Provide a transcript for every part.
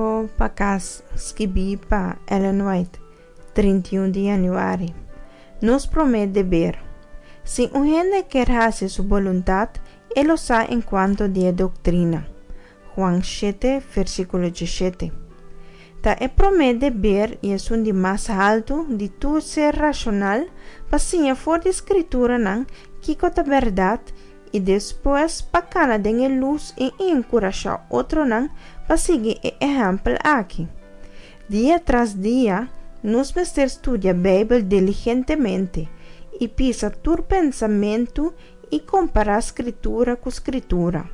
Rumbo pa kas, skibí pa Ellen White, 31 di yanüari. Nos promé deber. Si un hende kier hasi su boluntat, e lo sa enkuanto di e doktrina. Juan shete, versíkulo diesshete. Ta e promé deber i esun di mas haltu di tur ser rashonal pa siña for di Skrituranan kiko ta bèrdat i despues pa kana den e lus i enkurashá otronan pa sigui e ehèmpel aki. Dia tras dia, nos mester studia Beibel diligentemente i pisa tur pensamentu i kompará Skritura ku Skritura.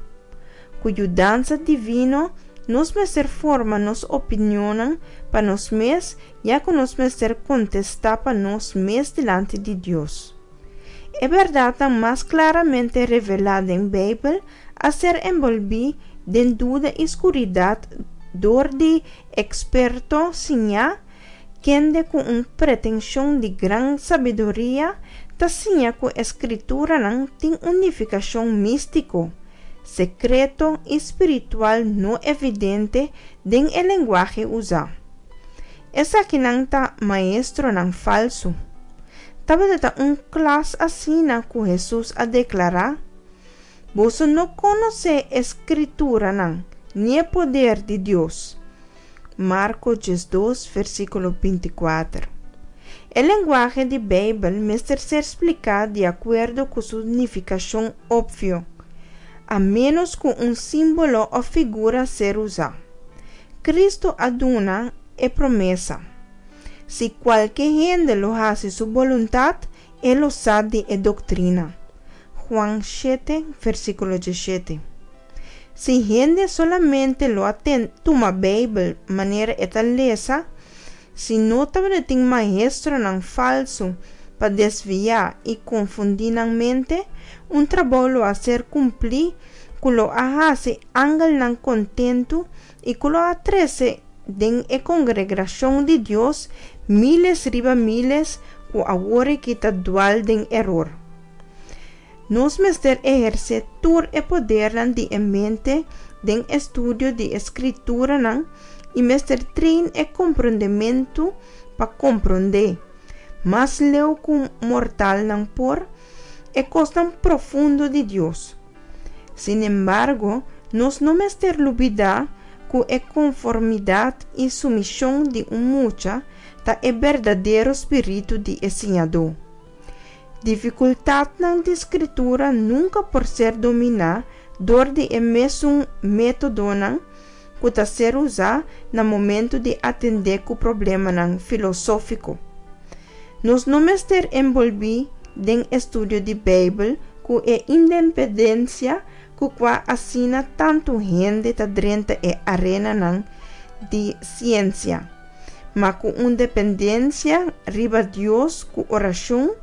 Ku yudansa divino, nos mester forma nos opinionnan pa nos mes ya ku nos mester kontestá pa nos mes dilanti di Dios. E bèrdatnan mas klaramente revelá den Beibel a ser enbolbí den duda i skuridat dor di eksperto siñá kende ku un pretenshon di gran sabiduria ta siña ku e Skrituranan tin un nifikashon místiko, sekreto i spiritual no evidente den e lenguahe usá. Esakinan ta maestronan falsu. Tabata ta un klas asina ku Hesus a deklará, Boso no konosé e Skrituranan ni e poder di Dios. Marko 12, versíkulo 24. E lenguahe di Beibel mester ser spliká di akuerdo ku su nifikashon opvio, a ménos ku un símbolo òf figura ser usá. Kristu a duna e promesa, Si kualke hende lo hasi su boluntat, e lo sa di e doktrina. Juan shete, versíkulo diesshete. Si hende solamente lo a tuma Beibel manera e ta lesa, si no tabatin maestronan falsu pa desviá i konfundí nan mente, un trabou lo a ser kumplí ku lo a hasi angelnan kontentu i ku lo a trese den e kongregrashon di Dios míles riba míles ku awor aki ta dual den eror. Nos mester ehersé tur e podernan di e mente den estudio di e Skrituranan i mester train e komprondementu pa komprondé, mas leu ku mortalnan por, e kosnan profundo di Dios. Sinembargo, nos no mester lubidá ku e konformidat i sumishon di un mucha ta e berdadero spiritu di e siñadó. Difikultatnan di Skritura nunka por ser dominá dor di e mesun métodonan ku ta ser usá na momentu di atendé ku problemanan filosófiko. Nos no mester enbolbí den estudio di Beibel ku e independensia ku kua asina tantu hende ta drenta e arenanan di siensia, ma ku un dependensia riba Dios ku orashon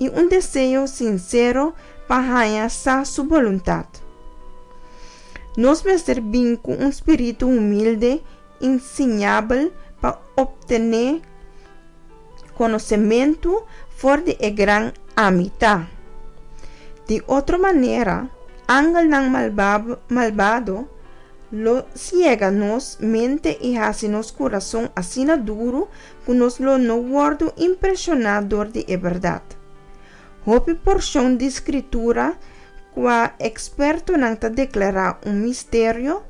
i un deseo sinsero pa haña sa su boluntat. Nos mester bin ku un spiritu humilde i siñabel pa optené konosementu for di e gran Ami Ta. Di otro manera, angelnan malbado lo siega nos mente i hasi nos kurason asina duru ku nos lo no wòrdu impreshoná dor di e bèrdat. Hopi porshon di Skritura kua ekspertonan ta deklará un misterio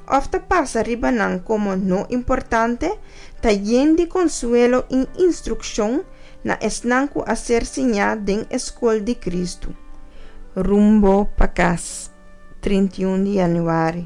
òf ta pasa riba nan komo no importante, ta yen di konsuelo i instrukshon na esnan ku a ser siñá den e skol di Kristu. Rumbo pa kas, 31 di yanüari.